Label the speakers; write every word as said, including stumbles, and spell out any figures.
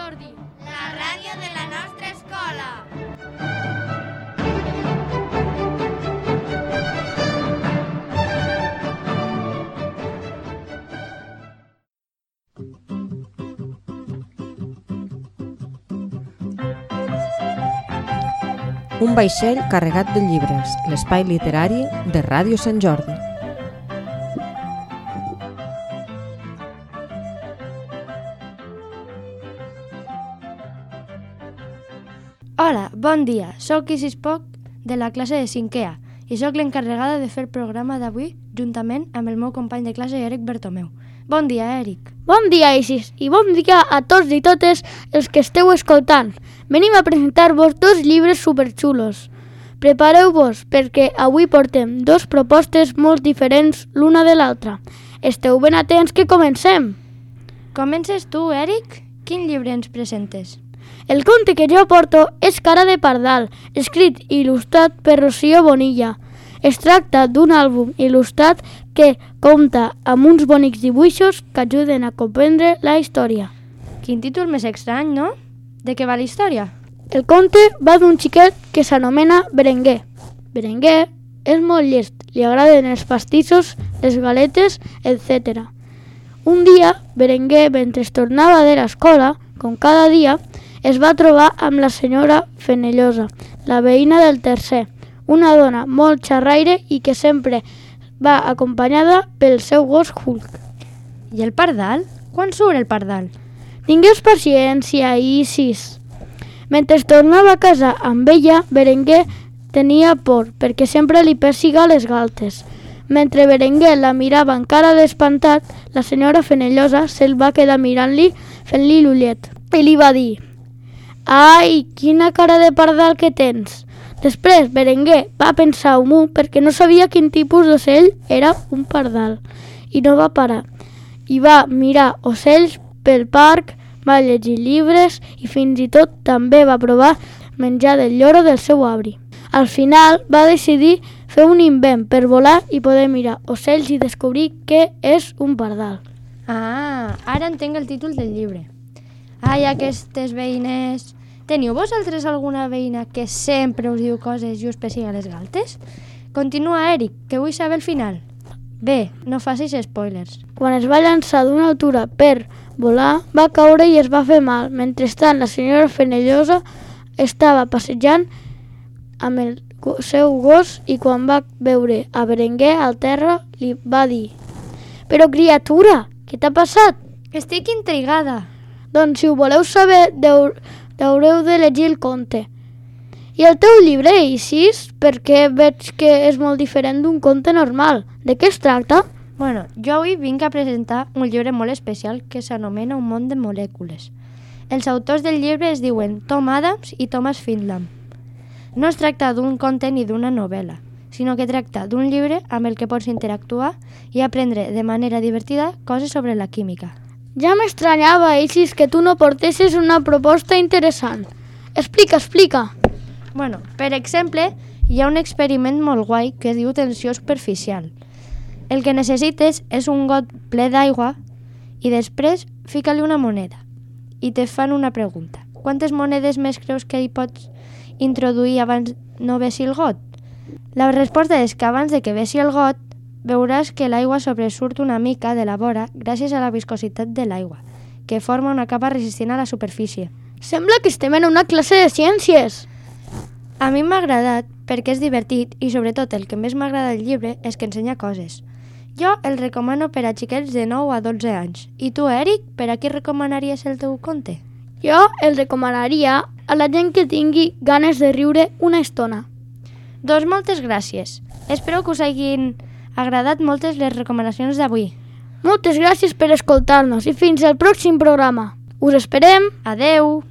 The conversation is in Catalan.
Speaker 1: Jordi, la ràdio de la nostra escola.
Speaker 2: Un vaixell carregat de llibres, l'espai literari de Ràdio Sant Jordi.
Speaker 3: Hola, bon dia. Soc Isis Poc de la classe de cinquè A i sóc l'encarregada de fer el programa d'avui juntament amb el meu company de classe Eric Bertomeu. Bon dia, Eric.
Speaker 4: Bon dia, Isis, i bon dia a tots i totes els que esteu escoltant. Venim a presentar-vos dos llibres superxulos. Prepareu-vos perquè avui portem dos propostes molt diferents l'una de l'altra. Esteu ben atents que comencem.
Speaker 3: Comences tu, Eric? Quin llibre ens presentes?
Speaker 4: El conte que jo porto és Cara de pardal, escrit i il·lustrat per Rocío Bonilla. Es tracta d'un àlbum il·lustrat que compta amb uns bonics dibuixos que ajuden a comprendre la història.
Speaker 3: Quin títol més estrany, no? De què va la història?
Speaker 4: El conte va d'un xiquet que s'anomena Berenguer. Berenguer és molt llest, li agraden els pastissos, les galetes, etcètera. Un dia, Berenguer, mentre tornava de l'escola, com cada dia, es va trobar amb la senyora Fenellosa, la veïna del tercer, una dona molt xerraire i que sempre va acompanyada pel seu gos Hulk.
Speaker 3: I el pardal? Quan surt el pardal?
Speaker 4: Tingues paciència, Isis. Mentre tornava a casa amb ella, Berenguer tenia por perquè sempre li persiga les galtes. Mentre Berenguer la mirava encara despantat, la senyora Fenellosa se'l va quedar mirant-li fent-li l'ullet i li va dir: «Ai, quina cara de pardal que tens!» Després, Berenguer va pensar un munt perquè no sabia quin tipus d'ocell era un pardal i no va parar. I va mirar ocells pel parc, va llegir llibres i fins i tot també va provar menjar del lloro del seu avi. Al final va decidir fer un invent per volar i poder mirar ocells i descobrir què és un pardal.
Speaker 3: Ah, ara entenc el títol del llibre. Ai, aquestes veïnes... Teniu vosaltres alguna veïna que sempre us diu coses i us pessiga les galtes? Continua, Eric, que vull saber el final. Bé, no facis spoilers.
Speaker 4: Quan es va llançar d'una altura per volar, va caure i es va fer mal. Mentrestant, la senyora Fenellosa estava passejant amb el seu gos i quan va veure a Berenguer al terra li va dir: «Però, criatura, què t'ha passat?»
Speaker 3: Estic intrigada.
Speaker 4: Doncs si ho voleu saber, deu... haureu de llegir el conte. I el teu llibre, Isis, perquè veig que és molt diferent d'un conte normal. De què es tracta?
Speaker 3: Bueno, jo avui vinc a presentar un llibre molt especial que s'anomena Un món de molècules. Els autors del llibre es diuen Tom Adams i Thomas Findlam. No es tracta d'un conte ni d'una novel·la, sinó que tracta d'un llibre amb el que pots interactuar i aprendre de manera divertida coses sobre la química.
Speaker 4: Ja m'estranyava, Isis, que tu no portessis una proposta interessant. Explica, explica.
Speaker 3: Bueno, per exemple, hi ha un experiment molt guai que es diu tensió superficial. El que necessites és un got ple d'aigua i després fica-li una moneda i te fan una pregunta. Quantes monedes més creus que hi pots introduir abans no vessi el got? La resposta és que abans de que vessi el got veuràs que l'aigua sobresurt una mica de la vora gràcies a la viscositat de l'aigua, que forma una capa resistent a la superfície.
Speaker 4: Sembla que estem en una classe de ciències.
Speaker 3: A mi m'ha agradat perquè és divertit i sobretot el que més m'agrada del llibre és que ensenya coses. Jo el recomano per a xiquets de nou a dotze anys. I tu, Eric, per a qui recomanaries el teu conte?
Speaker 4: Jo el recomanaria a la gent que tingui ganes de riure una estona.
Speaker 3: Doncs moltes gràcies. Espero que us hagin agradat moltes les recomanacions d'avui.
Speaker 4: Moltes gràcies per escoltar-nos i fins al pròxim programa. Us esperem.
Speaker 3: Adeu!